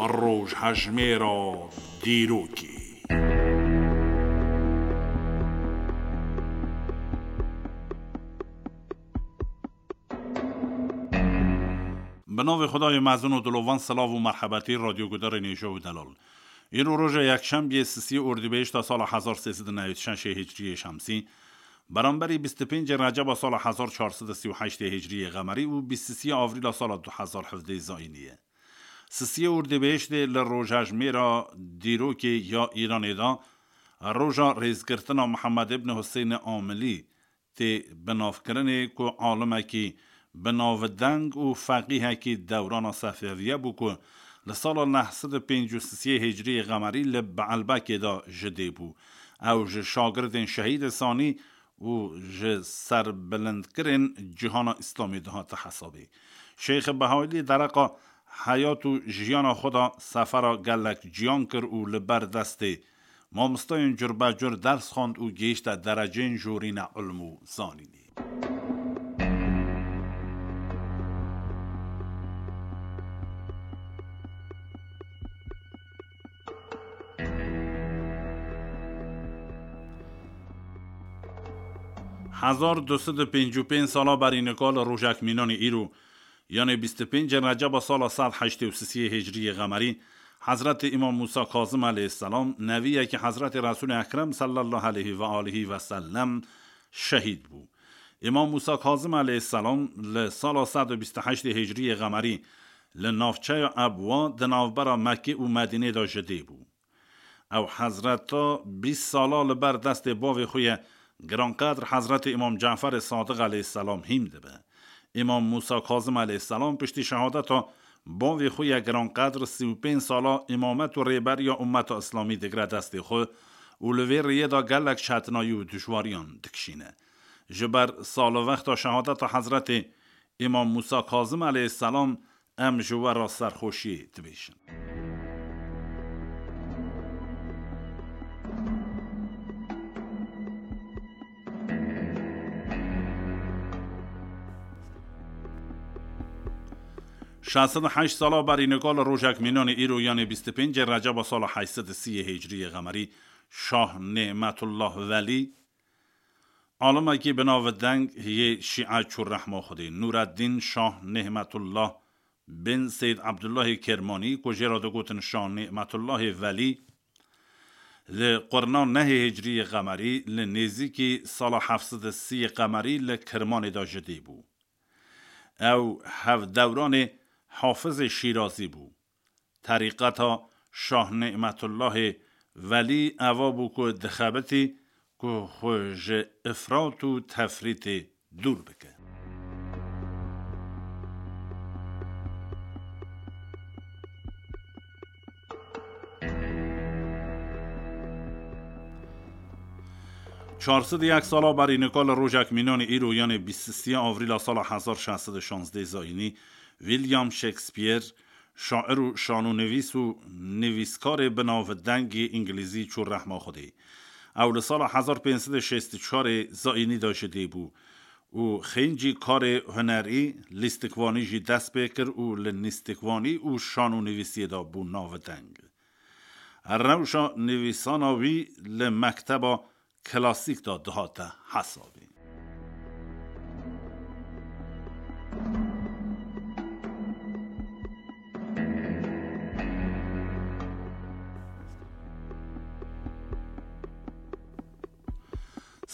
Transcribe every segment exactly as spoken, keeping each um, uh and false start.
Rojhejmêra dîrokê. Bi navê Xwedayê mezin û dilovan, silav û merhebetî radyogudarên hêja û delal. Îro roja yekşembiyê, sisiyê Ordîbehişta sala hezar sê sed û newêd û şeş ê Hicriyê Şemsî, beramberî bîst û pêncê Receba sala hezar çar sed û sî û heşt ê Hicriyê Qemerî û bîst û sê Avrîla sala du hezar hevdeh zayînî ye. Sisiyê Ordîbehiştê li rojhejmêra dîrokê ya Îranê de roja rêzgirtina Mihemed îbn Huseynê Amilî tê binavkirinê, ku alimekî binavdeng û feqîhekî dewrana Sefeviye bû, ku li sala neh sed û pêncî û sisiyê Hicriyê Qemerî li Beelbekê de ji dê bû. Ew ji şagirdên şehîdê sanî û ji serbilindkirên cîhana Îslamê dihate hesabê. Şêx Behaîlî dereqa heyat û jiyana xwe de sefera gelek ciyan kir û li ber destê mamostayên curbecur ders xwend û gihîşte dereceyên jorîne ilm û zanînê. Hezar du sed û pêncî û pênc sala berî nika li rojek mînanê îro, yanê bîst û pêncê Receba sala sed heştê û sisiyê Hicriyê Qemerî, Hezretê Îmam Mûsa Kazim aleyhisselam, neviyekî Hezretê Resûlê Ekrem sallallahu aleyhi ve alihi ve sellem, şehîd bû. Îmam Mûsa Kazim aleyhisselam li sala sed û bîst û heştê Hicriyê Qemerî li navçeya Ebwa di navbera Mekkê û Medînê de ji dê bû. Ew hezreta bîst sala li ber destê bavê xwe ye giranqedr Hezretê Îmam Caferê Sadiq aleyhisselam hîm dibe. Îmam Mûsa Kazim aleyhisselam piştî şehadeta bavê xwe ye giranqedr sî û pênc sala îmamet û rêberiya ummeta Îslamî digre destê xwe û li vê rêyê de gelek çetinayî û dijwariyan dikişîne. Ji ber salvexta şehadeta Hezretê Îmam Mûsa Kazim aleyhisselam em ji we re serxweşiyê dibêjin. Şeş sed û heşt sala berî nika li rojek mînanê îro, yanê bîst û pêncê Receba sala heşt sed û sî yê Hicriyê Qemerî, Şah Nîmetullah Welî, alimekî bi nav û deng yê Şîe çû rehma Xwedê, Nûreddîn Şah Nîmetullah bin Seyd Ebdullahê Kermanî, ku jê re digotin Şah Nîmetullahê Welî, li qurna nehê Hicriyê Qemerî, li nêzîkî sala heft sed û sî Qemerî li Kirmanê de ji dê bû. Ew hevdewranê Hafizê Şîrazî bû. Terîqeta Şah Nîmetullahê Welî eva bû ku dixebitî ku xwe ji ifrat û tefrîtê dûr bike. Çar sed û yek sala berî nika li rojek mînanê îro, yanê bîst û sê Avrîla sala hezar şeş sed û şazdeh zayînî, William Shakespeare, şair û şanûnivîs û nivîskarê bi nav û dengê îngilîzî çû rehma Xwedê. Ew li sala hezar pênc sed û şêst û çar zayînî de ji dê bû û xêncî karê hunerî, lîstikvanî jî dest pê kir û li lîstikvanî û şanûnivîsiyê de bû navdeng. Rewşa nivîsana wî li mekteba klasîk de dihate hesabê.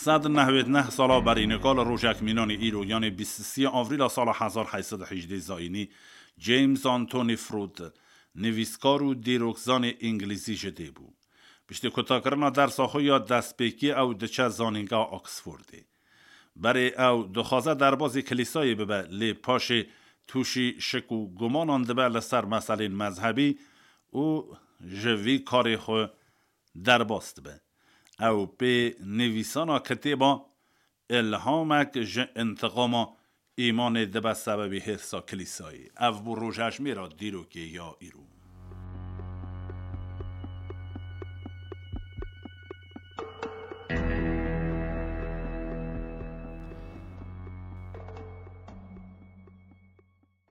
Sed nehwêd neh sala berî nika li rojek mînanê îro, yanê bîst û sê Avrîla sala hezar heyt sed û hejdeh zayînî, James Anthony Froude, nivîskar û dîrokzanê îngilîzî ji dê bû. Piştî kutakirina dersa xwe ya destpêkî ew diçe zanîngeha Oxfordê. Berê ew dixwaze derbazî kilîsayê bibe, lê paşê tûşî şik û gumanan dibe li ser meselên mezhebî û ji vî karê xwe derbas dibe. Ew pê nivîsana kitêba Îlhamek ji întiqama îmanê dibe sebebî hêrsa kilîsayê. Ev bû rojhejmêra dîrokê ya îro.